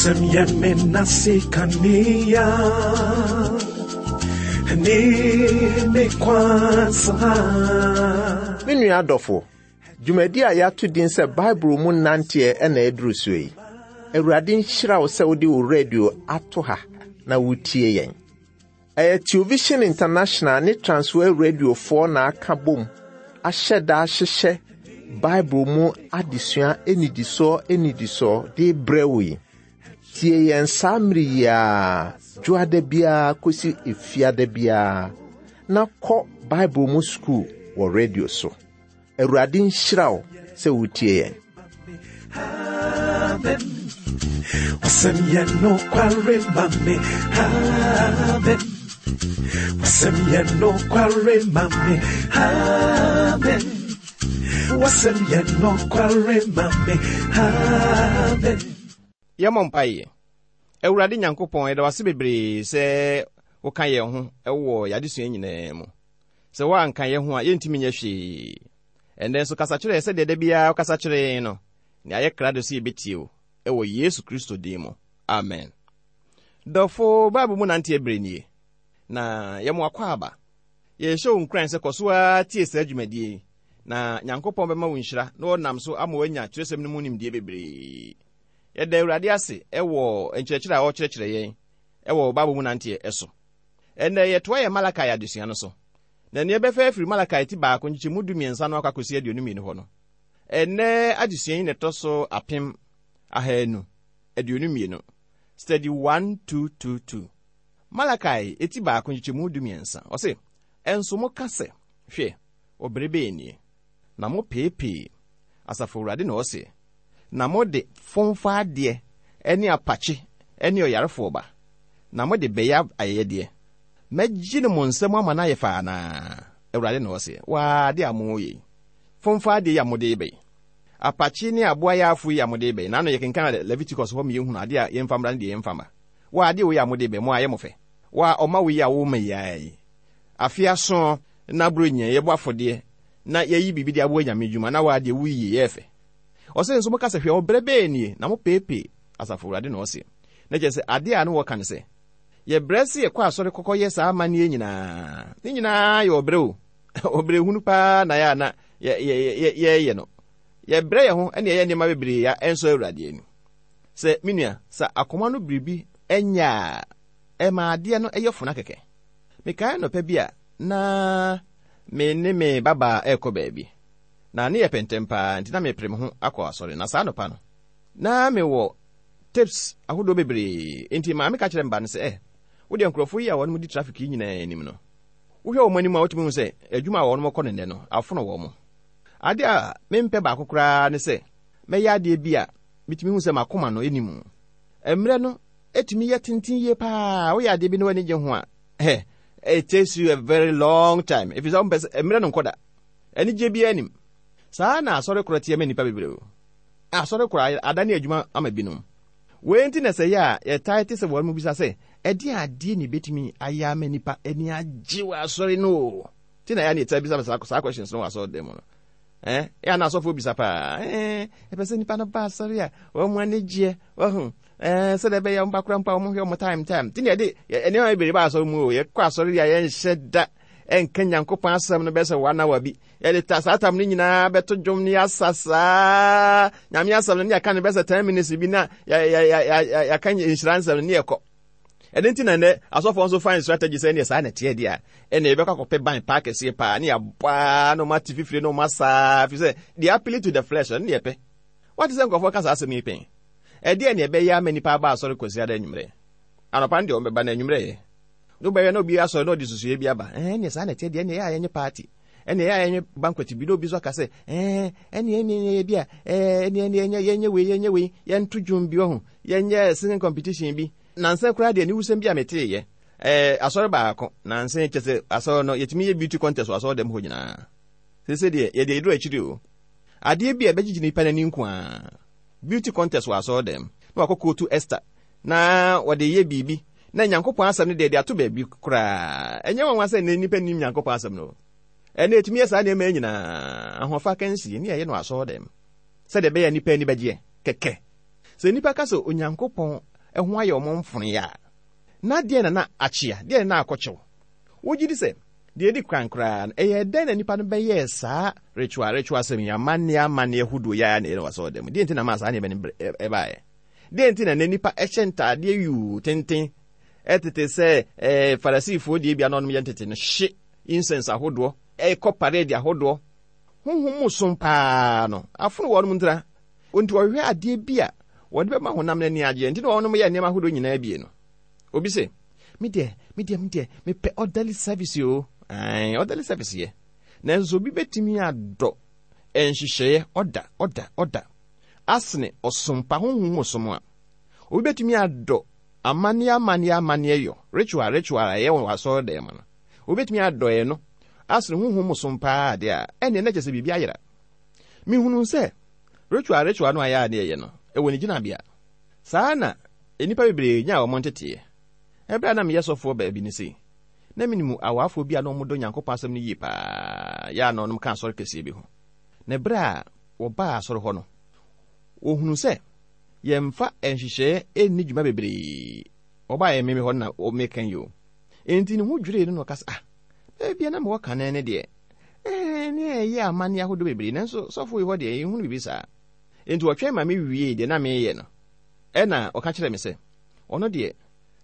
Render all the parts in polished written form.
Wasɛm yɛ me nase kanea ne me kwansa. Me nua adɔfo, dwumadi a yɛato din sɛ Bible mu nanteɛ na ɛduru so yi. Awurade nhyira wo sɛ wode wo radio ato ha na wotie yɛn. Ɛyɛ Television International ne Transworld Radiofoɔ na aka bom ahyɛ da ahyehyɛ Bible mu adesua nnidisoɔ nnidisoɔ de brɛ wo yi. Tie yɛn saa mmere yi ara, dwoada biara kɔsi efiada biara, na kɔ Bible mu sukuu wɔ radio so. Awurade nhyira wo sɛ wotie yɛn. Amen. Wasɛm yɛ nokware ma me. Amen. Wasɛm yɛ nokware ma me. Amen. Wasɛm yɛ nokware ma me. Amen. Yɛmmɔ mpaeɛ. Awurade Nyankopɔn, yɛda wo ase bebree sɛ woka yɛn ho wɔ yɛn adesua nyinaa mu. Sɛ woanka yɛn ho a, yɛntumi nyɛ hwee. Ɛnnɛ nso kasa kyerɛ yɛn sɛdeɛ da biara wokasa kyerɛ yɛn no, na yɛayɛ krado sɛ yɛbɛtie wo, wɔ Yesu Kristo din mu. Amen. Dɔfo, Bible mu nanteɛ berɛ nie, na yɛmo akwaaba. Yɛhyɛ wo nkuran sɛ kɔ so ara tie saa dwumadie yi, na Nyankopɔn bɛma wo nhyira na ɔnam so ama woanya twerɛsɛm no mu nimdeɛ bebree. Yɛda Awurade ase wɔ nkyerɛkyerɛ a ɔrekyerɛkyerɛ yɛn wɔ Bible mu nanteɛ so. Ɛnnɛ yɛtoa yɛn Malakai adesua no so. Na nea ɛbɛfa afiri Malakai ti baako nkyekyɛmu 13 no akɔ akɔsi 22 hɔ no. Ɛnnɛ adesua yi na ɛtɔ so 1522. Study 1222. Malakai ti baako nkyekyɛmu 13. Ɔse, Ɛnso moka sɛ, Hwɛ, ɔbere bɛn nie? Na mopeepee, Asafo Awurade na ɔse, na mode fomfa adeɛ ne apakye ne ɔyarefoɔ ba, na mode bɛyɛ ayɛyɛdeɛ. Mɛgye no mo nsam ama no ayɛ fɛ anaa? Awurade na ɔseɛ. Waa adeɛ a moreyɛ yi, fomfa adeɛ yi a mode reba yi, apakye ne aboa yaafo yi a mode reba yi, naano yɛkenkan Leviticus hɔ ma yɛhunu adeɛ a yɛmfa mmra ne deɛ yɛmfa mma. Waa adeɛ wei a mode reba yi, mo ayɛ mo fɛ. Waa ɔma wei a woma yi ara yi, afe aso na Buronya yɛbɔ afɔdeɛ na yɛyi biribi de aboa Nyame dwuma na waa deɛ woyi yi yɛ fɛ. Ɔse nso moka sɛ hwɛ ɔbrɛ bɛɛ nie na mopeepee, Asafo Awurade na ɔseɛ. Na kyerɛ sɛ adeɛ a na wɔka ne sɛ, Yɛbrɛ se yɛkɔ asɔre kɔkɔ yɛ saa amanneɛ nyinaa. Ne nyinaa yɛ ɔbrɛ o. Ɔbrɛ hunu paa na yɛ a na yɛyɛ no. Yɛbrɛ yɛn ho ne yɛyɛ nneɛma bebree a ɛnsɔ Awurade ani. Sɛ, me nua, sɛ akoma no biribi nyɛ a, ɛma adeɛ no yɛ fona kɛkɛ. Mekae anɔpa bi a na me ne me babaa rekɔ baabi. Na ne yɛ pɛntɛm paa nti na mepere me ho akɔ asɔre. Na saa anɔpa no, na mewɔ Tips ahodoɔ bebree. Enti maame ka kyerɛɛ me ba no sɛ, Eh, wo deɛ nkurɔfoɔ yi a wɔnom di traffic yi nyinaa anim no, wohwɛ wɔn anim a wotumi hu sɛ adwuma a wɔnom kɔ no nnɛ no, afono wɔn. Adeɛ a mempɛ baako koraa ne sɛ mɛyɛ adeɛ bi a metumi hu sɛ m'akoma no nni mu. Mmerɛ no tumi yɛ tenten yie paa, woyɛ adeɛ bi na w'ani gye ho a, eh, it takes you a very long time, ɛfiri sɛ wompɛ sɛ mmerɛ no nkɔ da. Anigyeɛ biara nnim. Saa na asɔre korɔ teɛ ma nnipa bebree o. Asɔre kɔ adane adwuma ama binom. Wei nti na sɛ ɛyɛ a yɛtaa te sɛ wɔn bisa sɛ, Ɛdeɛn adeɛ na ɛbɛtumi ayɛ ama nnipa ani agye wɔ asɔre no o? Nti na ɛyɛ a na yɛtaa bisa saa saa questions no wɔ asɔre dan mu no. Eh, ɛyɛ a na asɔfoɔ bisa paa. Eh, ɛpɛ sɛ nnipa no ba asɔre a wɔn ani gyeɛ, wɔho. Eh, sɛdeɛ ɛbɛyɛ wɔn ba kora mpo a wɔn hwɛ wɔn time time. Nti na yɛde nneɛma bebree ba asɔre mu o. Yɛkɔ asɔre a yɛnhyɛ da ɛnka Nyankopɔn asɛm no bɛyɛ sɛ one hour bi. Yɛde ta saa tam no nyinaa bɛto dwom ne yɛasa saa Nyame asɛm no ne yɛka no bɛyɛ sɛ 10 minutes bi na yɛaka nhyira nsɛm no ne yɛkɔ. Ɛno nti na nnɛ asɔfoɔ nso find strategy sɛ ɛneɛ saa na ɛteɛ deɛ a ɛne yɛbɛkɔ akɔpɛ ban paa kɛseɛ paa ne yɛabɔ a na ɔma ate fifire na ɔma saa fi sɛ they appeal to the flesh ɛno ne yɛpɛ. Wate sɛ nkurɔfoɔ ka saa asɛm yi pɛn? Ɛdeɛ ne ɛbɛyɛ ama nnipa aba asɔre Kwasiada anwummerɛ? Anɔpa no deɛ wɔbɛba na anwummerɛ yɛ. Wobɛhwɛ na obi asɔre na ɔde susuiɛ bi aba. Ɛɛ, ɛneɛ saa na ɛteɛ deɛ, ɛneɛ ɛyɛ a yɛnyɛ party. Ɛneɛ ɛyɛ a yɛnyɛ banquet bi na obi nso aka sɛ, ɛɛ, ɛneɛ ɛneɛ ɛneɛ bi a, ɛɛ, ɛneɛ ɛneɛ ɛnyɛ yɛnyɛ wei yɛnyɛ wei, yɛnto dwom bi ɔho, yɛnyɛ singing competition bi. Nansa koraa deɛ aniwusɛm bi a meteeɛ, ɛɛ, asɔre baako, nansa yi kyɛ sɛ asɔre no yɛtumi yɛ beauty contest wɔ asɔre dɛm hɔ nyinaa. Seesei deɛ yɛde aduru akyiri o. Adeɛ bi a ɛbɛgyegye nipa n'ani nko ara. Beauty contest wɔ asɔre dɛm na wakɔ kootu Esther na wɔde yɛ biribi na Nyankopɔn asɛm no deɛ de ato baabi koraa. Ɛnyɛ nwanwa sɛ nnɛ nnipa nnim Nyankopɔn asɛm no. Ɛnnɛ yɛtumi yɛ saa nneɛma yi nyinaa, ahoɔfɛ akansie, ne yɛyɛ no asɔɔdɛm, sɛdeɛ ɛbɛyɛ a nnipa ani bɛgyeɛ kɛkɛ. Sɛ nnipa ka sɛ Onyankopɔn ho ayɛ wɔn mfonoeɛ a, na deɛn na na akyea? Deɛn na na akɔkyɛw? Wogye di sɛ, deɛ ɛdi kan koraa no, ɛyɛɛ dɛn na nnipa no bɛyɛɛ saa ritual ritual asɛm yi, amanneɛ amanneɛ hodoɔ yi ara na ɛyɛ no wɔ asɔredan mu? Deɛn nti na ɛmaa saa nneɛma no baeɛ? Deɛn nti na nnɛ nnipa hyɛ ntaadeɛ yuu tenten tete sɛ eh, Farisifoɔ deɛ bi a na wɔnom yɛ ntete no, hye incense ahodoɔ, ɛkɔ parade ahodoɔ? Honhom mu som paa no, afono wɔnom ntira. Enti wɔhwehwɛ adeɛ bi a wɔde bɛma honam no ani agyeɛ, nti na wɔnom yɛ nneɛma ahodoɔ nyinaa bie no. Obi se, me deɛ, me deɛ, me deɛ, mepɛ orderly service o. Ae, orderly service yɛ. Nanso obi bɛtumi adɔ nhyehyɛeɛ, ɔda, ɔda, ɔda, asene ɔsom pa, honhom mu som a. Obi bɛtumi adɔ amanneɛ, amanneɛ, amanneɛ yɔ, ritual, ritual a ɛyɛ wɔ asɔredan mu no. Obi bɛtumi adɔ ɛno asene honhom mu som paa deɛ a, ɛnneɛ na kyerɛ sɛ biribi ayera. Mehunuu sɛ ritual ritual no a ɛyɛ a na yɛyɛ no, ɛwɔ ne gyinabea. Saa na nnipa bebree nyaa wɔn nteteeɛ. Ɛberɛ a na meyɛ sɔfoɔ baabi no sei, na menim awaafoɔ bi a na wɔdɔ Nyankopɔn asɛm no yie paa, yɛ a na wɔnom ka asɔre kɛseɛ bi ho. Na ɛberɛ a wɔbaa asɔre hɔ no, wɔhunuu sɛ yɛmfa nhyehyɛeɛ nni dwuma bebree. Wɔbaeɛ me me hɔ no na meka yi o. Enti ne ho dwirii no na ɔka sɛ, Ah, baabi a na mewɔ kane no deɛ, ɛɛ, ne ɛyɛ amanneɛ ahodoɔ bebree, nanso sɔfo yi hɔ deɛ, yɛnhunu biribi saa. Enti ɔtwɛn ma mewiee deɛ na mereyɛ no, ɛnna ɔka kyerɛɛ me sɛ, ɔno deɛ,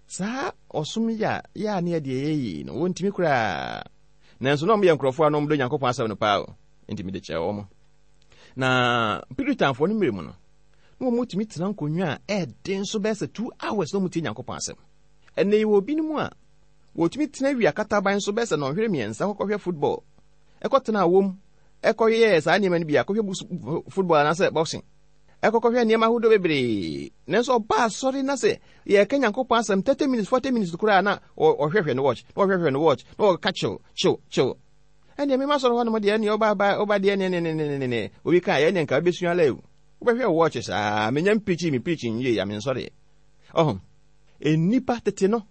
saa ɔsom yi a yɛ a ne yɛ deɛ yɛyɛ yi no, wɔntumi koraa. Nanso na wɔyɛ nkurɔfoɔ a na wɔdɔ Nyankopɔn asɛm no paa o, enti mede kyɛɛ wɔn. Na Puritanfoɔ no mmerɛ mu no, na wɔtumi tena nkonnwa a ɛden so bɛyɛ sɛ 2 hours na wɔtie Nyankopɔn asɛm. Ɛnnɛ yɛwɔ binom a wɔtumi tena wia kataban so bɛyɛ sɛ nnɔnhwere mmiɛnsa kɔkɔhwɛ football, ɛkɔtena awom, ɛkɔyɛɛ saa nneɛma no bi a, kɔhwɛ football anaasɛ boxing, ɛkɔkɔhwɛ nneɛma ahodoɔ bebree. Nanso ɔba asɔre na sɛ yɛreka Nyankopɔn asɛm 30 minutes, 40 minutes koraa na ɔhwɛhwɛ no watch, na ɔhwɛhwɛ no watch, na ɔka kyew, kyew, kyew. Ɛnneɛ mema asɔre hɔ nom deɛ ɛnneɛ ɔba ba ɔba deɛ ne ne ne ne ne ne obi ka yɛ ɛnneɛ nka wobɛsua lɛ o. Wobɛhwɛ watch saa, menya mpirikyi me pirikyi nwie ya mensɔreɛ. Ɔho, nnipa tete no,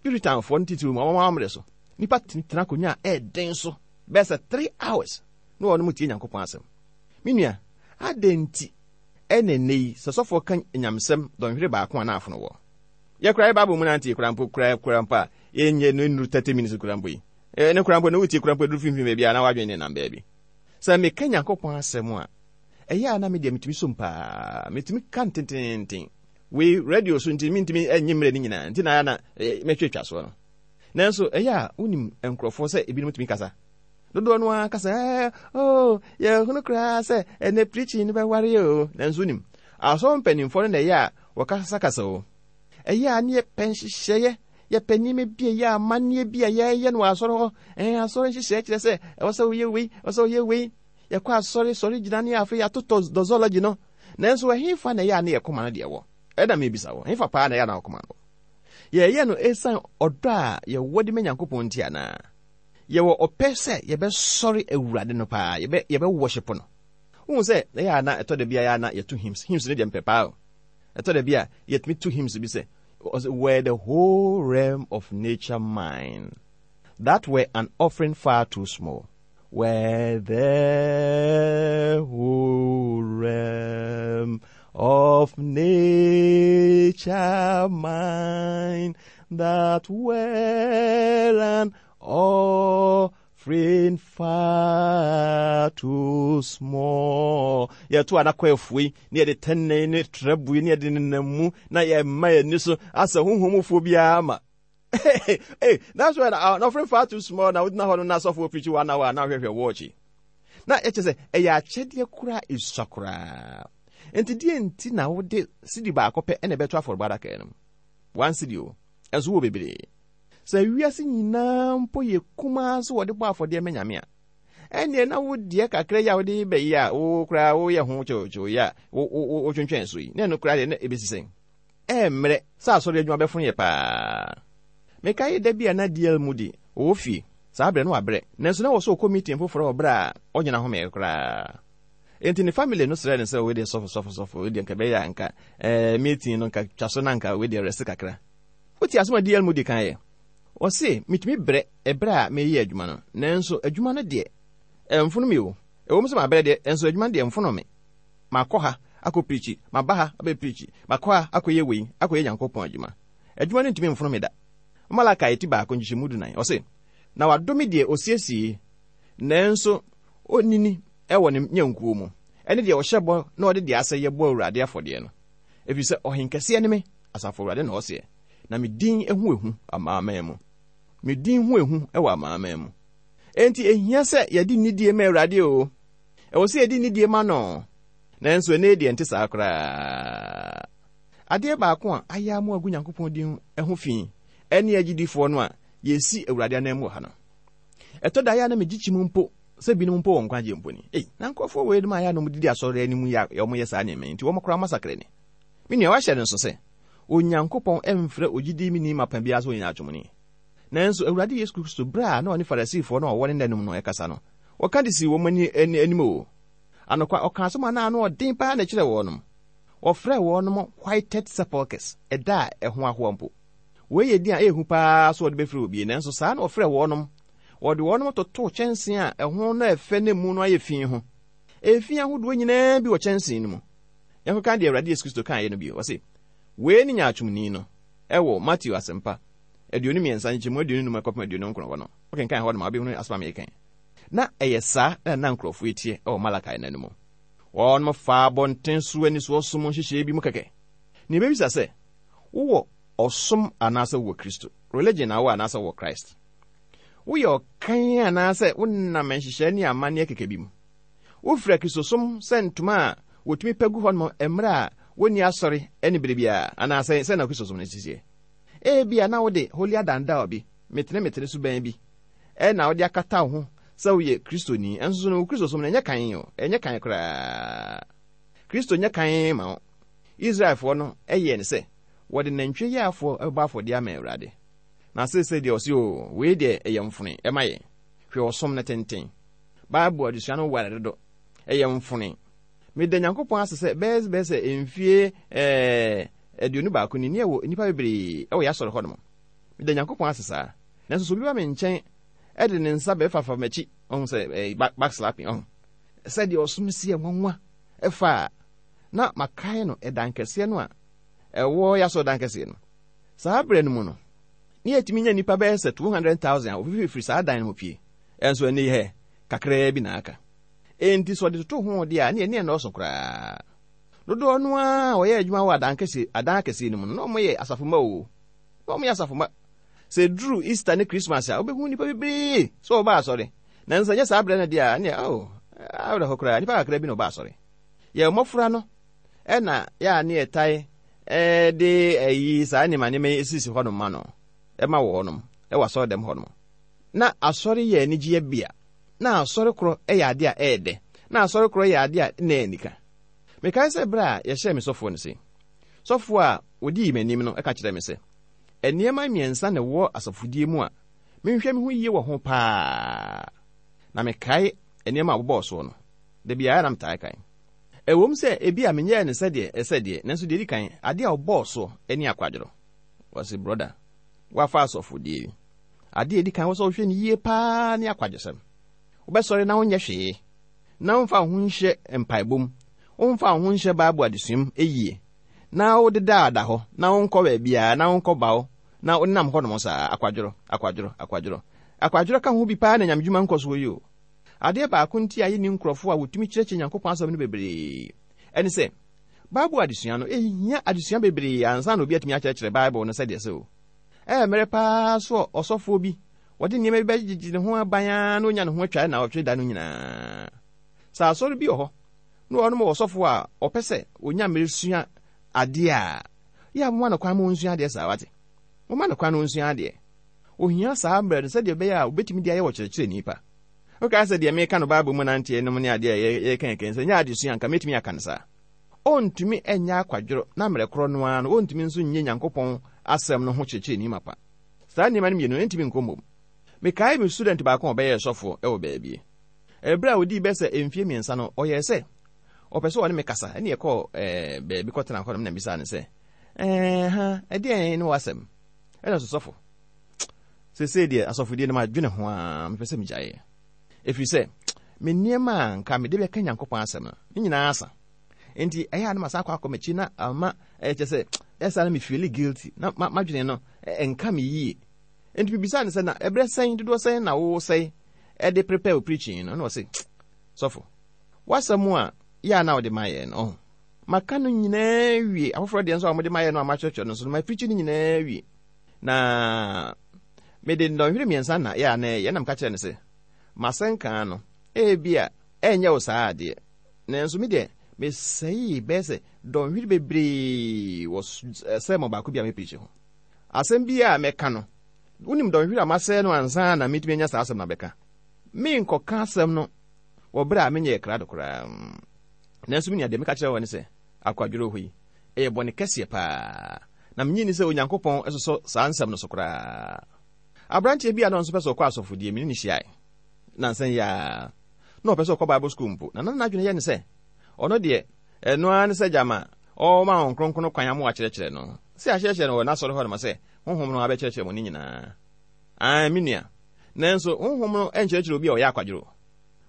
Puritanfoɔ no titiriw mu, wɔn amammerɛ so, nnipa tena akonnwa a ɛyɛ den so bɛyɛ sɛ 3 hours na wɔn tie Nyankopɔn asɛm. Me nua, adɛn nti ɛna nnɛ yi sɛ sɔfoɔ ka nyamesɛm dɔnhwere baako a na afono wɔ? Yɛkora yɛ Bible mu nante kora mpo kora kora mpo a yɛnyɛ no nnuru 30 minutes kora mpo yi. Ne kora mpo na wotie kora mpo aduru finfin baabi a na wadwene ne nam baabi. Sɛ meka Nyankopɔn asɛm a, ɛyɛ a na me deɛ metumi som paa, metumi ka ntententen. Wei radio so nti mentumi nnye mmerɛ no nyinaa nti na ayɛ na mɛtwatwa soɔ no. Nanso ɛyɛ a wonim nkurɔfoɔ sɛ ebinom tumi kasa. Dodoɔ no ara kasa ɛɛ oh yɛhunu koraa sɛ ɛnɛ preaching no bɛware o. Nanso wonim asɔre mpanimfoɔ no na ɛyɛ a wɔkasakasa o. Ɛyɛ a ne yɛpɛ nhyehyɛeɛ, yɛpɛ nneɛma bi a ɛyɛ amanneɛ bi a yɛyɛ no wɔ asɔre hɔ. Ɛɛ asɔre nhyehyɛeɛ kyerɛ sɛ ɛwɔ sɛ woyɛ wei, ɛwɔ sɛ woyɛ wei. Yɛkɔ asɔre, sɔre gyina ne afei yɛatotɔ dɔzɔlɔgye no. Nanso ɛhefa na ɛyɛ a ne yɛ koma no deɛ wɔ? Ɛna mebisa wo, ɛhefa paa na ɛyɛ a na wo koma no wɔ? Yɛyɛ no esiane ɔdɔ a yɛwɔ de ma Nyankopɔn nti anaa? Yɛwɔ ɔpɛ sɛ yɛbɛsɔre Awurade no paa, yɛbɛ yɛbɛ worship no. Wohu sɛ ɛyɛ a na ɛtɔ da bi a ɛyɛ a na yɛto hymns. Hymns no deɛ mepɛ paa o. Ɛtɔ da bi a yɛtumi to hymns bi sɛ, were the whole realm of nature mine, that were an offering far too small. Were the whole realm of nature mine, that were an offering far too small. Yɛto a na kɔ afue na yɛde tɛnɛn ne trɛbue ne yɛde nenam mu na yɛma yɛn ani so asɛ honhom mufoɔ biara ma. Hey, that's why an offering far too small na wogyina hɔ no na asɔfoɔ preach 1 hour na wohwɛhwɛ watch. Na ɛkyɛ sɛ ɛyɛ akyɛdeɛ koraa esua koraa. Nti deɛ nti na wode sidi baako pɛ ɛna ɛbɛto afɔrebɔ adaka no mu. 1 cedi o, ɛnso wɔ bebree. Sɛ wiase nyinaa mpo yɛ kumaa so wɔde bɔ afɔdeɛ ma Nyame a, ɛnneɛ na wo deɛ kakra yi a wode bɛyi a wo koraa woyɛ ho kyewkyew yi a wotwentwɛn so yi, na ɛno koraa deɛ na ɛbɛsi sɛn? Ɛmmerɛ sɛ asɔre adwuma bɛfono yɛ paa. Mekae da bi a na DL Moody wɔ fie. Saa berɛ no wabrɛ, nanso na ɛwɔ sɛ ɔkɔ meeting foforɔ wɔ berɛ a ɔnyɛ n'ahome koraa. Enti ne family no srɛɛ no sɛ wei deɛ sɔfo sɔfo sɔfo, wei deɛ nka ɛbɛyɛ a nka eh, meeting no nka twa so na nka wei deɛ rest kakra. Wote asɛm a DL Moody kaeɛ? Ɔse, metumi brɛ ɛberɛ a mereyɛ adwuma no, nanso adwuma no deɛ ɛmfono me o. Ɛwom sɛ mabrɛ deɛ, nanso adwuma no deɛ ɛmfono me. Makɔ ha. akɔ pirikyi, maba ha abɛ pirikyi, makɔ ha akɔyɛ wei, akɔyɛ Nyankopɔn adwuma. Adwuma no ntumi mfono me da. Malakai ti baako nkyekyɛmu 14, ɔse, Na wadome deɛ ɔsiesie, nanso ɔnnini wɔ ne nnyankuo mu, ɛne deɛ ɔhyɛ bɔ na ɔde deɛ asɛeɛ bɔ Awurade afɔdeɛ no. Ɛfiri sɛ ɔhenkɛseɛ ne me, Asafo Awurade na ɔseɛ, na me din ho ehu amanaman mu. Me din ho ehu wɔ amanaman mu. Enti ehia sɛ yɛde nidie ma Awurade o. Ɛwɔ sɛ yɛde nidie ma no. Nanso ɛnnɛ yi deɛ ɛnte saa koraa. Adeɛ baako a ayɛ ama agu Nyankopɔn din ho fi ɛne agyidifoɔ no a yɛsi Awurade ananmu wɔ ha no. Ɛtɔ da yɛ a na megye kyim mpo sɛ binom mpo wɔ nkwagyeɛ mpo ni. Ei, na nkurɔfoɔ wei nom a yɛ a na wɔdidi asɔre anim yi a wɔyɛ saa nneɛma yi nti wɔn koraa masakra ni. Me nua, wahyɛ no nso sɛ Onyankopɔn mfrɛ ogyidimni mapa biara sɛ ɔyɛ nyaatwomni. Nanso Awurade Yesu Kristo, berɛ a na ɔne Farisifoɔ no a wɔwɔ ne nna no mu no rekasa no, ɔka de sii wɔn ani anim o. Anokwa, ɔkaa asɛm a na ano ɔden paa na ɛkyerɛɛ wɔnom. Wɔfrɛɛ wɔnom whited sepulchres, ɛda a ɛho ahoa mpo. Wei yɛ din a ɛyɛ hu paa sɛ wɔde bɛfrɛ obi, nanso saa na wɔfrɛɛ wɔnom. Wɔde wɔnom totoo kyɛnsee a ɛho no yɛ fɛ na emu no ayɛ fi ho. Efi ahodoɔ nyinaa bi wɔ kyɛnsee no mu. Yɛnkɔka deɛ Awurade Yesu Kristo kaeɛ no bio. Ɔse, Wei ne nyaatwomni no. Ɛwɔ Mateo Asɛmpa 23 nkyekyɛmu 25 kɔpem 29 hɔ no. Wokenkan hɔ nom a, wobɛhunu asɛm a mereka yi. Na ɛyɛ saa na na nkurɔfoɔ yi teɛ wɔ Malakai nna no mu. Wɔnom faa abɔnten so anisoɔ som nhyehyɛeɛ bi mu kɛkɛ. Na yɛbɛbisa sɛ, wowɔ ɔsom anaasɛ wowɔ Kristo? Religion na wowɔ anaasɛ wowɔ Christ? Woyɛ ɔkan anaasɛ wonam nhyehyɛe ne amanneɛ kɛkɛ bi mu? Wofira Kristosom sɛ ntoma a wɔtumi pɛ gu hɔnom mmerɛ a wɔnni asɔre ne berɛ biara, anaasɛ sɛn na Kristosom no teɛ? Ebia na wode holier than thou bi, metene-metene suban bi, na wode akata wo ho sɛ woyɛ Kristoni, nso so no wo Kristosom no ɛnyɛ kann o, ɛnyɛ kann koraa. Kristo nyɛ kann ma wo. Israelfoɔ no yɛɛ no sɛ wɔde nantwie yaafoɔ bɛbɔ afɔdeɛ ama Awurade. Na seesei deɛ ɔse o, wei deɛ ɛyɛ mfone ɛma yɛn. Hwɛ ɔsom no tenten. Bible adesua no ware dodo. Ɛyɛ mfone. Meda Nyankopɔn ase sɛ bɛyɛ bɛyɛ sɛ mfie ɛɛ 21 ni, ne yɛwɔ nnipa bebree wɔ yɛn asɔre hɔnom. Meda Nyankopɔn ase saa. Nanso sɛ obi ba me nkyɛn de ne nsa bɛfafa m'akyi, ɔhu sɛ ɛɛ back, back slapping, ɔhu. Sɛdeɛ ɔsom si yɛ nwanwa ɛfa a, na makae no ɛdan kɛseɛ no a ɛwɔ yɛn asɔredan kɛseɛ no. Saa berɛ no mu no, ne yɛtumi nya nnipa bɛyɛ sɛ 200,000 a wɔfifiri saa dan no mu pue. Ɛnso ɛnnɛ yi hɛ, kakraa bi na aka. Enti sɛ ɔde toto ho deɛ a, ne ɛne ɛnnɔɔso koraa. Dodoɔ no ara a wɔyɛ adwuma wɔ adan kɛseɛ adan akɛseɛ no mu no, na wɔyɛ asafo mma o. Na wɔyɛ asafo mma. Sɛ ɛduru Easter ne Christmas a, wobɛhu nnipa bebree sɛ wɔba asɔre. Nanso ɛnyɛ saa berɛ no deɛ a, ɛneɛ oh, awerɛhɔ koraa, nnipa kakra bi na wɔba asɔre. Yɛn mmɔfra no ɛna yɛ a ne yɛtae de ayi saa nneɛma nneɛma yi sisi hɔnom ma no, ɛma wɔ hɔnom, ɛwɔ asɔre dɛm hɔnom. Na asɔre yɛ anigyeɛ bea. Na asɔre korɔ yɛ adeɛ a ɛyɛ dɛ. Na asɔre korɔ yɛ adeɛ a na ɛyɛ anika. Mekae sɛ berɛ a yɛhyɛɛ me sɔfoɔ no sei, sɔfoɔ a ɔdii m'anim no ka kyerɛɛ me sɛ, Nneɛma mmiɛnsa na ɛwɔ asɔfodie mu a menhwɛ me ho yie wɔ ho pa ara. Na mekae nneɛma a ɔbobɔɔ soɔ no. Da biara na metaa kae. Ɛwom sɛ ebia menyɛɛ no sɛdeɛ ɛsɛ deɛ, nanso deɛ ɛdi kan, adeɛ a ɔbɔɔ soɔ ne akwadworɔ. Ɔse, Brɔda, woafa asɔfodie yi. Adeɛ a ɛdi kan wɔ sɛ wohwɛ no yie paa ne akwadwosɛm. Wobɛsɔre na wonyɛ hwee, na womfa wo ho nhyɛ mpaebɔ mu, womfa wo ho nhyɛ Bible adesua mu yie, na wodeda hɔ, na wonkɔ baabiara, na wonkɔ bawo, na wonam hɔnom saa, akwadworɔ, akwadworɔ, akwadworɔ. Akwadworɔ ka ho bi paa na nyamedwuma nkɔ soɔ yi o. Adeɛ baako nti a yɛnni nkurɔfoɔ a wɔtumi kyerɛkyerɛ Nyankopɔn asɛm no bebree ɛne sɛ, Bible adesua no, ɛhia adesua bebree ansa na obi atumi akyerɛkyerɛ Bible no sɛdeɛ ɛsɛ o. Ɛyɛ mmerɛ paa so ɔsɔfoɔ bi, wɔde nneɛma bi bɛgyegye ne ho aban ara na ɔnya ne ho atwa nnawɔtwe da no nyinaa. Sɛ asɔre bi wɔ hɔ na wɔnom wɔ ɔsɔfoɔ a ɔpɛ sɛ ɔnya mmerɛ sua adeɛ a, yɛ a momma no kwan ma ɔnsua adeɛ saa, wate? Momma no kwan na ɔnsua adeɛ. Ɔhia saa mmerɛ no sɛdeɛ ɛbɛyɛ a ɔbɛtumi de ayɛ ɔkyerɛkyerɛni pa. Wokae sɛ deɛ meka no Bible mu nanteɛ nom ne adeɛ a yɛreka yɛka sɛ nyɛ adesua anka mɛtumi aka no saa. Ɔntumi nyɛ akwadworɔ na mmerɛ korɔ no ara no ɔntumi nso nyɛ Nyankopɔn asɛm no ho kyerɛkyerɛni mapa. Saa nneɛma no mmienu no ɛntumi nkɔ mmom. Mekae me student baako a ɔbɛyɛɛ sɔfoɔ wɔ baabi. Ɛberɛ a ɔdii bɛyɛ sɛ mfeɛ mmiɛnsa no ɔyɛɛ sɛ ɔpɛ sɛ ɔne me kasa ɛne yɛkɔɔ ɛɛ baabi kɔtena hɔ nom na mebisaa no sɛ ɛɛ ha ɛdeɛn ne w'asɛm? Ɛna ɔsɛ sɔfo Seesei deɛ asɔfodie no madwene ho ara, mepɛ sɛ megyaeɛ. Ɛfiri sɛ, me nneɛma a nka mede bɛka Nyankopɔn asɛm no, ne nyinaa asa. Enti ɛyɛ a na masan akɔ akɔ m'akyi na ama ɛyɛ kyɛ sɛ ɛsa na me feel guilty na m'adwene no ɛnka me yie. Enti mebisaa no sɛ na ɛberɛ sɛn dodoɔ sɛn na wosɛe ɛde prepare wo preaching no? Ɛna ɔse sɔfo w'asɛm a yɛ a na wode ma yɛn no ɔho maka no nyinaa wie afoforɔ deɛ nso a wɔde ma yɛn no a makyerɛkyerɛ no nso no ma preaching no nyinaa wie na mede nnɔnhwere mmiɛnsa na yɛ a na ɛyɛ na meka kyerɛ no sɛ masɛnkaa no ebi a ɛnyɛ wo saa adeɛ nanso me deɛ mesɛee bɛyɛ sɛ dɔnhwere bebree wɔ sɛmɔ baako bi a mepirikyi ho. Asɛm bi a mɛka no, wonim dɔnhwere a masɛe no ansa na metumi anya saa asɛm no abɛka. Menkɔka asɛm no wɔ berɛ a menyɛɛ krado koraa. Nanso me nua, deɛ meka kyerɛ wo ne sɛ, akwadworɔ hɔ yi, ɛyɛ bɔne kɛseɛ paa, na mennye nni sɛ Onyankopɔn sosɔ saa nsɛm no so koraa. Aberanteɛ bi a na ɔno nso pɛ sɛ ɔkɔ asɔfodie, me ne no hyiae nnansa yi ara. Na ɔpɛ sɛ ɔkɔ Bible sukuu mpo, na na n'adwene yɛ no sɛ ɔno deɛ, ɛno ara ne sɛ gyama ɔrema Honhom Kronkron kwan ama wakyerɛkyerɛ no. Sɛ yɛakyerɛkyerɛ no wɔ n'asɔre hɔ nom sɛ Honhom no abɛkyerɛkyerɛ mo ne nyinaa. Aane, me nua. Nanso Honhom no nkyerɛkyerɛ obi a ɔyɛ akwadworɔ.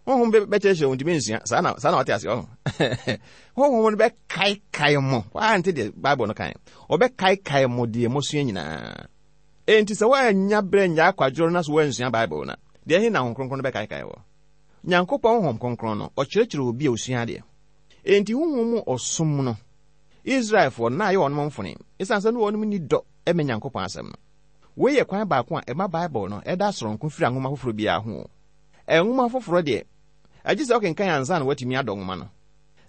Honhom bɛkyerɛkyerɛ wo ntumi nsua. Saa na saa na wate aseɛ ɔho. Honhom no bɛkaekae mo. Woante deɛ Bible no kan. Ɔbɛkaekae mo deɛ mosua nyinaa. Enti sɛ woannya berɛ nyɛ akwadworɔ na so woansua Bible no a, deɛ he na Honhom Kronkron no bɛkaekae wɔ? Nyankopɔn Honhom Kronkron no, ɔkyerɛkyerɛ obi a osua adeɛ. Enti honhom mu ɔsom no, Israelfoɔ no, na ayɛ wɔn mfone, esiane sɛ na wɔn nni dɔ ma Nyankopɔn asɛm no. Wei yɛ kwan baako a ɛma Bible no da soronko firi nwoma foforɔ biara ho. Nwoma foforɔ deɛ, ɛgye sɛ wokenkan ansa na woatumi adɔ nwoma no.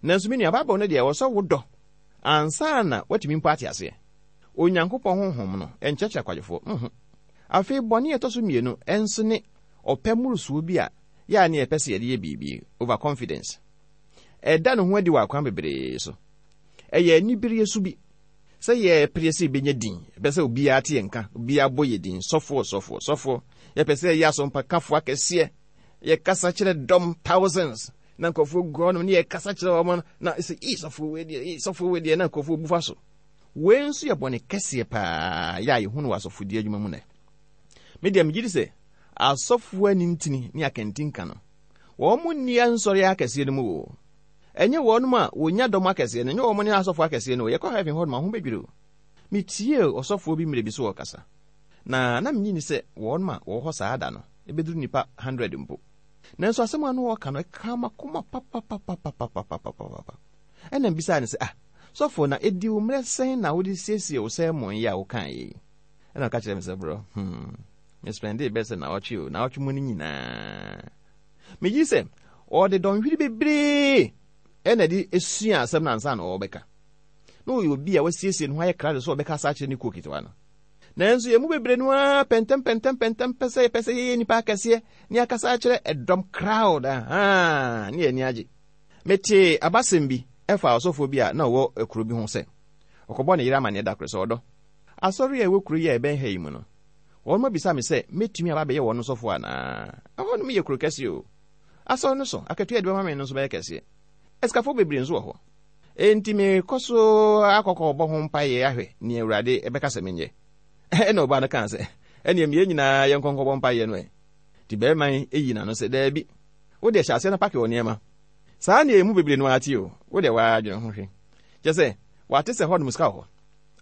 Nanso me nua, Bible no deɛ, ɛwɔ sɛ wodɔ ansa na woatumi mpo ate aseɛ. Onyankopɔn honhom no nkyerɛkyerɛ akwadwofoɔ. Nhu. Afei bɔne a ɛtɔ so mmienu nso ne ɔpɛ mmorosoɔ bi a yɛ a ne yɛpɛ sɛ yɛde yɛ biribi, overconfidence. Ɛda ne ho adi wɔ akwan bebree so. Ɛyɛ anibereɛ su bi sɛ yɛpere sɛ yɛbɛnya din, yɛpɛ sɛ obiara te yɛn nka, obiara bɔ yɛ din, sɔfoɔ, sɔfoɔ, sɔfoɔ. Yɛpɛ sɛ yɛyɛ asɔmpakafoɔ akɛseɛ, yɛkasa kyerɛ dɔm thousands, na nkurɔfoɔ gu hɔnom ne yɛkasa kyerɛ wɔn na sɛ ii sɔfoɔ wei deɛ, ii sɔfoɔ wei deɛ, na nkurɔfoɔ bu fa so. Wei nso yɛ bɔne kɛseɛ paa yɛ a yɛhu no wɔ asɔfodie adwuma mu nɛ. Me deɛ megye di sɛ asɔfoɔ anintini ne akantinka no, wɔn nni nsɔre akɛseɛ no mu o. Ɛnyɛ wɔnom a wɔnya dɔm akɛseɛ no, ɛnyɛ wɔn ne asɔfoɔ akɛseɛ no o. Yɛkɔ heaven hɔ nom a, ho bɛdwiri o. Metiee ɔsɔfoɔ bi mmerɛ bi so ɔrekasa, na na mennye nni sɛ wɔnom a wɔwɔ hɔ saa da no bɛduru nnipa 100 mpo. Nanso asɛm a na ɔreka no, ɛkaa m'akoma papapapapapapapapa. Ɛnna mebisaa no sɛ, Ah, sɔfoɔ, na ɛdi wo mmerɛ sɛn na wode siesie wo sermon yi a wokaeɛ yi? Ɛnna ɔka kyerɛɛ me sɛ, Bro, hmm, me spɛndee bɛyɛ sɛ naawɔtwe o, naawɔtwe mu no nyinaa. Megye sɛ ɔde dɔnhwere bebree ɛna de sua asɛm no ansa na ɔrebɛka. Na ɔyɛ obi a wasiesie ne ho ayɛ krado sɛ ɔbɛkasa akyerɛ ne kuo ketewa no. Nanso yɛn mu bebree no ara pɛntɛmpɛntɛmpɛntɛm pɛ sɛ yɛpɛ sɛ yɛyɛ nnipa akɛseɛ ne akasa akyerɛ ɛdɔm crowd ahaa ne yɛn ani agye. Metee abasɛm bi ɛfa ɔsɔfoɔ bi a na ɔwɔ kuro bi ho sɛ ɔkɔbɔ ne yere amanneɛ da koro sɛ ɔdɔ asɔre a ɛwɔ kuro yi a ɛbɛn ha yi mu no Wɔn abisa me sɛ mɛtumi aba abɛyɛ wɔn sɔfoɔ anaa. Ɛhɔ nom yɛ kuro kɛseɛ o. Asɔre no so akatua a yɛde bɛma me no nso bɛyɛ kɛseɛ. Asikafoɔ bebree nso wɔ hɔ. Enti merekɔ so akɔkɔbɔ ho mpaeɛ ahwɛ nea Awurade bɛka sɛ menyɛ. Ɛnna ɔbaa no kaa sɛ, Ɛnneɛ ma yɛn nyinaa yɛnkɔ nkɔbɔ mpaeɛ no ɛ. Enti barima yi yii n'ano sɛ, Daabi, wo deɛ hyɛ aseɛ na pake wo nneɛma. Saa na yɛn mu bebree no ara te o. Wo deɛ w'adwene ho hwɛ. Kyerɛ sɛ, wɔate sɛ hɔnom sika wɔ hɔ.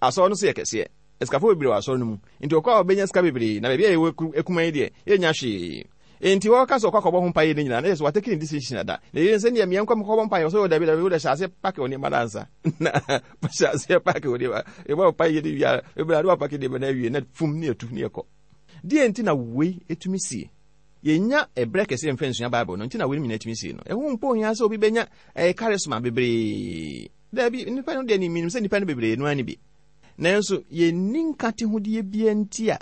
Asɔre no nso yɛ kɛseɛ. Asikafo bebree wɔ asɔre no mu, enti ɔkɔ a ɔbɛnya sika bebree, na baabi a yɛwɔ akumaa yi deɛ, yɛnnya hwee. Enti ɔka sɛ ɔkɔ akɔbɔ ho mpaeɛ no nyinaa, na kyerɛ sɛ watake ne decision dada. Na yei sɛdeɛ meɛ nkɔ mekɔbɔ mpaeɛ, ɔsɛ, dabi, dabi, wode hyɛ aseɛ pake wo nneɛma no ansa. Na hyɛ aseɛ pake wo nneɛma, yɛbɔ mpaeɛ no wie a, bebree a na wapake nneɛma no awie, na fum ne atu ne ɛkɔ. Deɛ nti na wei tumi sie? Yɛnnya ɛberɛ kɛseɛ mfa nsua Bible no, nti na weinom nyinaa tumi sie no. Ɛho mpo hia sɛ obi bɛnya ɛyɛ charisma bebree. Dabi, nnipa no deɛ menim sɛ nnipa no bebree no ara ne bi. Nanso yenni nkate hodeɛ biara nti a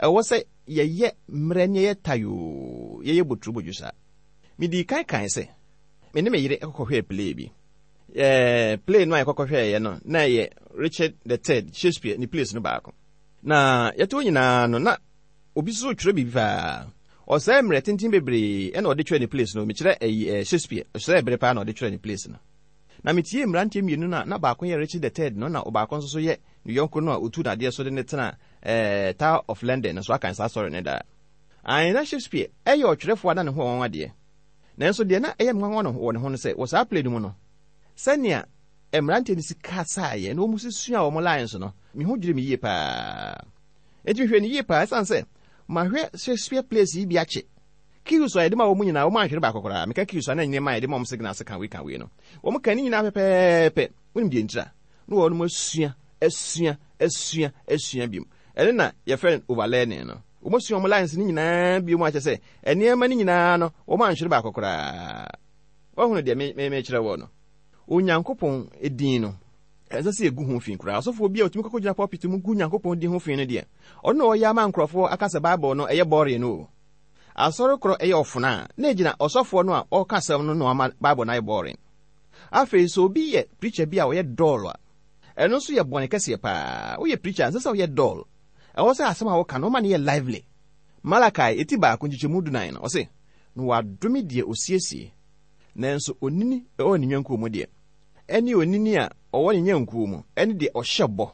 ɛwɔ sɛ yɛyɛ mmerɛ ne yɛyɛ tayoo, yɛyɛ boturobodwo saa. Medii kan kae sɛ me ne me yere kɔkɔhwɛɛ play bi. Ɛɛ, play no a yɛkɔkɔhwɛeɛ no, na ɛyɛ Richard the Third, Shakespeare ne plays no baako. Na yɛte hɔ nyinaa no, na obi nso retwerɛ biribi paa. Ɔsɛe mmerɛ tenten bebree ɛna ɔde twerɛ ne plays no. Mekyerɛ ɛyi, ɛɛ, Shakespeare, ɔsɛe bere paa na ɔde twerɛ ne plays no. Na mitiee mmeranteɛ mmienu no a na baako yɛ Richard the Third no na ɔbaako nso so yɛ ne yɔnko no a ɔtuu no adeɛ so de no tenaa eh, Tower of London no so akan saa sɔre no daa. Ae, na Shakespeare yɛ ɔtwerɛfoɔ a na ne ho wɔ nwanwa deɛ. Nanso deɛ na ɛyɛ me nwanwa no wɔ ne ho no sɛ wɔ saa play no mu no, sɛnea mmeranteɛ no si kasaeɛ na wɔn si sua wɔn lines no, me ho dwiri me yie paa. Enti mehwɛ no yie paa ɛsiane sɛ mahwɛ Shakespeare plays yi bi akyɛ. Cues a yɛde ma wɔn nyinaa, wɔn anhwere baako koraa. Meka cues a na nneɛma a yɛde ma wɔn signal sɛ ka wei ka wei no. Wɔn ka ne nyinaa pɛpɛɛpɛ. Wonim deɛ ntira? Na wɔn asua, asua, asua, asua biom. Ɛno na yɛfrɛ no overlearning no. Wɔn asua wɔn lines no nyinaa biom akyɛ sɛ nneɛma no nyinaa no wɔn anhwere baako koraa. Woahunu deɛ me, me, mekyerɛ wɔ no? Onyankopɔn din no, ɛnsɛ sɛ yɛgu ho fi koraa. Ɔsɔfoɔ bi a ɔtumi kɔkɔgyina pulpit mu gu Nyankopɔn din ho fi no deɛ, ɔno na ɔyɛ ama nkurɔfoɔ aka sɛ Bible no ɛyɛ boring no o. Asɔre korɔ ɛyɛ ɔfono a, na ɛgyina ɔsɔfoɔ no a ɔreka asɛm no na wama Bible no ayɛ boring. Afei sɛ obi yɛ preacher bi a ɔyɛ dull a, ɛno nso yɛ bɔne kɛseɛ paa. Woyɛ preacher a, ɛnsɛ sɛ woyɛ dull. Ɛwɔ sɛ asɛm a woka no, woma no yɛ lively. Malakai eti baako nkyekyɛmu dunan no, ɔse, Na wɔadome deɛ ɔsiesie, nanso onini a ɔwɔ ne nnwankuo mu deɛ, ɛne onini a ɔwɔ ne nnwankuo mu, ɛne deɛ ɔhyɛ bɔ.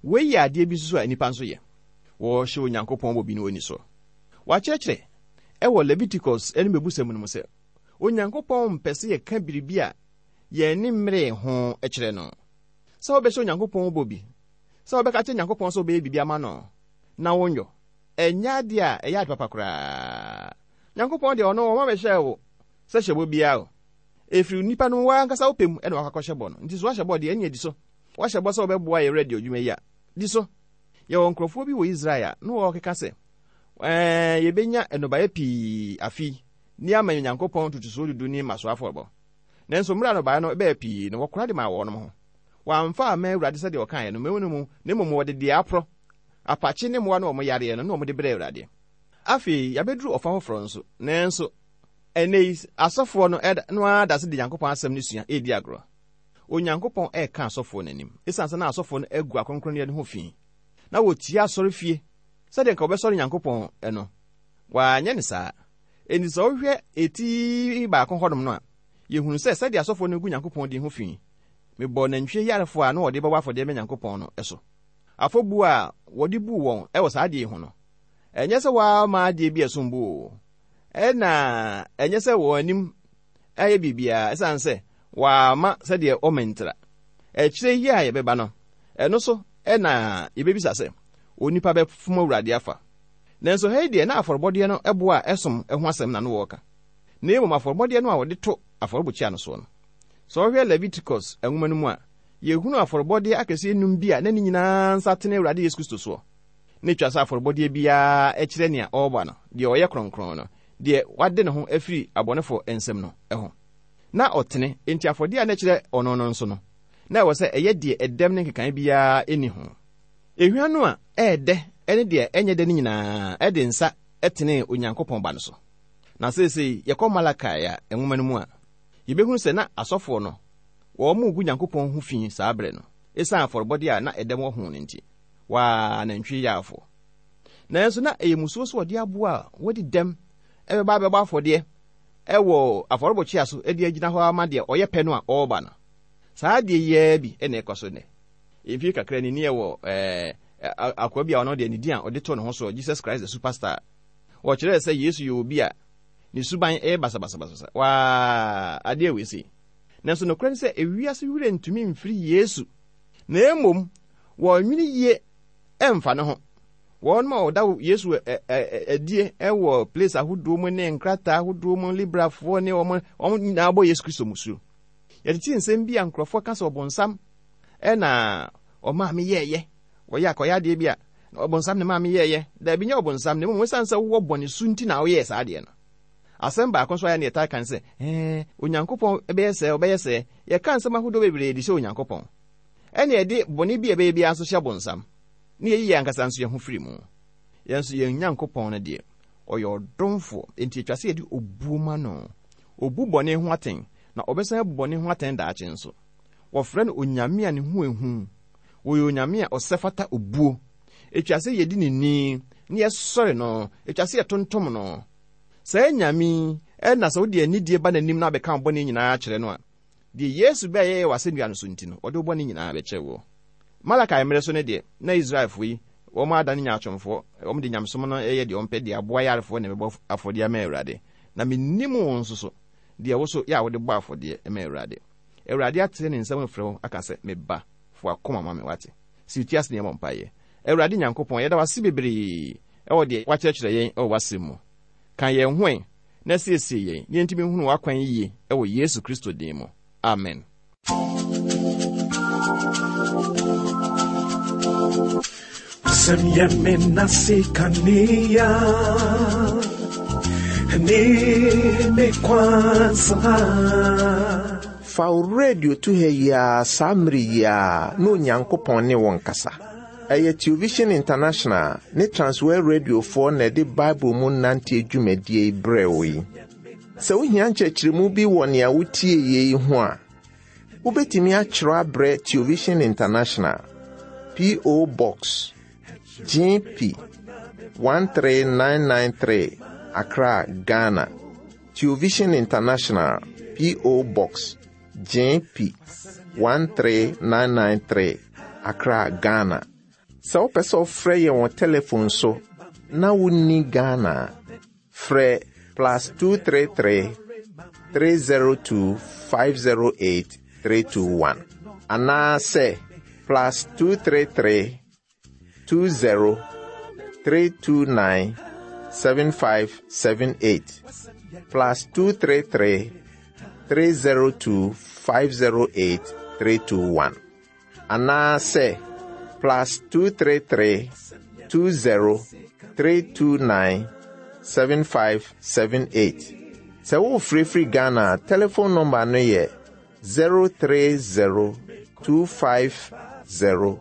Wei yɛ adeɛ bi nso so a nnipa nso yɛ. Wɔhyɛ Onyankopɔn bɔ bi no ɔnni so. Wɔakyerɛkyerɛ ɛwɔ Leviticus ne Mmebusɛm no mu sɛ, Onyankopɔn mpɛ sɛ yɛka biribi a yɛn ani mmeree ho kyerɛ no. Sɛ wobɛhyɛ Onyankopɔn bɔ bi, sɛ wobɛka akyerɛ Nyankopɔn sɛ wobɛyɛ biribi ama no na wonyɔ, ɛnyɛ adeɛ a ɛyɛ ade papa koraa. Nyankopɔn deɛ ɔno ɔma bɛhyɛɛ wo sɛ hyɛ bɔ biara o. Ɛfiri nipa no wo ankasa wo pɛ mu na wakɔ akɔhyɛ bɔ no. Nti sɛ woahyɛ bɔ deɛ ɛnneɛ di so. Woahyɛ bɔ sɛ wobɛboa yɛn radio adwuma yi a, di so. Yɛwɔ nkurɔfoɔ bi wɔ Israel a na wɔkeka sɛ, Ɛɛ, yɛbɛnya nnɔbaeɛ pii afe yi ne ama Nyankopɔn ntotosoɔ dudu ne mmasoɔ afɔrebɔ. Nanso mmerɛ a nnɔbaeɛ no bɛɛ pii no, wɔkora de maa wɔnom ho. Wɔamfa amma Awurade sɛdeɛ ɔkaeɛ no, na mmom wɔde deɛ aporɔ, apakye ne mmoa no a wɔyareɛ no na wɔde brɛɛ Awurade. Afei yɛabɛduru ɔfa foforɔ nso, nanso ɛnnɛ yi asɔfoɔ no no ara da so de Nyankopɔn asɛm no sua redi agorɔ. Onyankopɔn reka asɔfoɔ no anim, ɛsiane sɛ na asɔfoɔ no agu akronkronneɛ no ho fi, na wɔtia asɔrefie sɛdeɛ nka wɔbɛsɔre Nyankopɔn no. Wɔanyɛ no saa. Enti sɛ wohwɛ eti baako hɔnom no a, yɛhunu sɛ sɛdeɛ asɔfoɔ no gu Nyankopɔn din ho fi, mebɔɔ nantwie yarefoɔ a na wɔde bɛbɔ afɔdeɛ ma Nyankopɔn no so. Afɔbuo a wɔde buu wɔn wɔ saa adeɛ yi ho no, ɛnyɛ sɛ wɔama adeɛ bi a ɛsom bo o, ɛna ɛnyɛ sɛ wɔn anim ayɛ biribiara ɛsiane sɛ wɔama sɛdeɛ wɔma ntira. Akyire yi a yɛbɛba no, ɛno so na yɛbɛbisa sɛ, onipa bɛfom Awurade afa? Nanso ha yi deɛ na afɔrebɔdeɛ no boɔ a ɛsom ho asɛm na no wɔreka, na mmom afɔrebɔdeɛ no a wɔde to afɔrebukyia no soɔ no. Sɛ wohwɛ Leviticus nwoma no mu a, yɛhunu afɔrebɔdeɛ akɛseɛ nnum bi a na ne nyinaa nsa tene Awurade Yesu Kristo soɔ. Na ɛtwa sɛ afɔrebɔdeɛ biara kyerɛ nea ɔreba no, deɛ ɔyɛ kronkron no, deɛ wade ne ho afiri abɔnefoɔ nsam no ho. Na ɔtene, enti afɔdeɛ a na ɛkyerɛ ɔno no nso no, na ɛwɔ sɛ ɛyɛ deɛ ɛdɛm ne nkekaeɛ biara nni ho. Ehwa no a ɛyɛ dɛ ne deɛ ɛnyɛ dɛ no nyinaa de nsa tenee Onyankopɔn Ba no so. Na seesei yɛkɔ Malakai a nwoma no mu a, yɛbɛhunu sɛ na asɔfoɔ no, wɔregu Nyankopɔn ho fi saa berɛ no, ɛsiane afɔrebɔdeɛ a na ɛdɛm wɔ ho no nti. Waa, anantwie yarefoɔ. Nanso na ɛyɛ mmusuo sɛ wɔde aboa a wadi dɛm bɛba abɛbɔ afɔdeɛ wɔ afɔrebɔkyea so de agyina hɔ ama deɛ ɔyɛ pɛ no a ɔreba no. Saa adeɛ yi ara bi na ɛkɔ so nnɛ. Mfie kakra ni, ne yɛwɔ ɛɛ akoa bi a ɔno deɛ ne din a ɔde too ne ho soɔ, Jesus Christ the Superstar. Wɔkyerɛɛ sɛ Yesu yɛ obi a ne suban yɛ basabasabasa. Waa, adeɛ wei sei. Nanso nokorɛ ne sɛ ewiase werɛ ntumi mfiri Yesu. Na mmom wɔnnwene yie mfa ne ho. Wɔn a wɔda Yesu adie wɔ place ahodoɔ mu ne nkrataa ahodoɔ mu, Librafoɔ ne wɔn, wɔn nyinaa bɔ Yesu Kristo musuo. Yɛtete nsɛm bi a nkurɔfoɔ ka sɛ ɔbonsam na ɔmaa me yɛɛyɛ. Wɔyɛ akɔyɛ adeɛ bi a, ɔbonsam na maa me yɛɛyɛ. Daabi, nyɛ ɔbonsam, na mmom ɛsiane sɛ wowɔ bɔne su nti na woyɛɛ saa adeɛ no. Asɛm baako nso a ɛyɛ na yɛtaa ka ne sɛ, ɛɛ, Onyankopɔn bɛyɛ sɛɛ, ɔbɛyɛ sɛɛ. Yɛka nsɛm ahodoɔ bebree de hyɛ Onyankopɔn. Ɛnna yɛde bɔne bi a ɛbɛyɛ biara nso hyɛ bonsam, na yɛyi yɛn ankasa nso yɛn ho firi mu. Yɛn nso, yɛn Nyankopɔn no deɛ, ɔyɛ ɔdomfoɔ, enti ɛtwa sɛ yɛde obuo ma no. Ɔbu bɔne ho atɛn, na ɔbɛsan abu bɔne ho atɛn daakye nso. Wɔfrɛ no Onyame a ne ho yɛ hu. Ɔyɛ Onyame a ɔsɛ fata obuo. Ɛtwa sɛ yɛdi no ni, na yɛsɔre no. Ɛtwa sɛ yɛtontom no. Saa Nyame yi na sɛ wode anidie ba n'anim na abɛka wo bɔne nyinaa kyerɛ no a, deɛ Yesu bɛyɛeɛ wɔ asɛnnua no so nti no, ɔde wo bɔne nyinaa bɛkyɛ woɔ. Malakai mmerɛ so no deɛ, na Israelfoɔ yi, wɔn adane nyaatwomfoɔ, wɔn de nyamesom no yɛ deɛ wɔn pɛ, de aboa yarefoɔ na ɛbɛbɔ afɔdeɛ ama Awurade. Na mennim wo nso so, deɛ wo so yɛ a wode bɔ afɔdeɛ ma Awurade. Awurade atene ne nsam afrɛ wo aka sɛ, Me ba, fa w'akoma ma me, woate? Si wo ti ase na yɛmmɔ mpaeɛ. Awurade Nyankopɔn, yɛda wo ase bebree wɔ deɛ woakyerɛkyerɛ yɛn wɔ w'asɛm mu. Ka yɛn ho ɛ na siesie yɛn na yɛntumi nhunu w'akwan yie wɔ Yesu Kristo din mu. Amen. Asɛm yɛ me nase kanea ne me kwansena. Fa wo radio to ha yi ara saa mmere yi ara na Onyankopɔn ne wo nkasa. Ɛyɛ Television International ne Transworld Radiofoɔ na ɛde Bible mu nanteɛ dwumadie yi brɛɛ wo yi. Sɛ wohia nkyerɛkyerɛmu bi wɔ nea wotie yi ho a, wobɛtumi akyerɛ abrɛ Television International, P.O. Box, GP 13993, Accra, Ghana. Television International, P.O. Box, GP 13993, Accra, Ghana. Sɛ wopɛ sɛ wofrɛ yɛn wɔ telefon so na wonni Ghana a, frɛ plus 233 302 508 321 anaasɛ plus 233 20 329 7578 plus 233 302 508 321 anaasɛ plus 233 20 329 7578. Sɛ worefrɛfiri Ghana a, telefon nɔmba no yɛ 030 250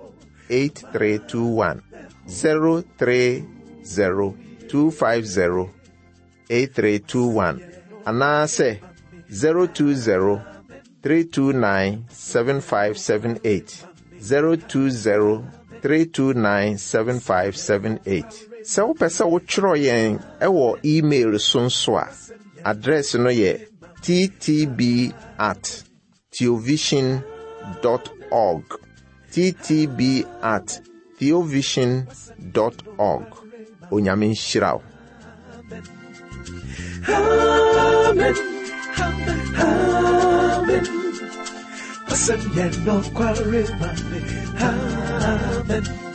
8321. 030 250 8321 anaasɛ 020 329 7578. 020 329 7578. Sɛ wopɛ sɛ wotwerɛ yɛn wɔ email so nso a, address no yɛ ttb at theovision dot org. ttb at theovision dot org. Onyame nhyira wo. Amen. Amen. Wasɛm yɛ nokware ma me. Amen.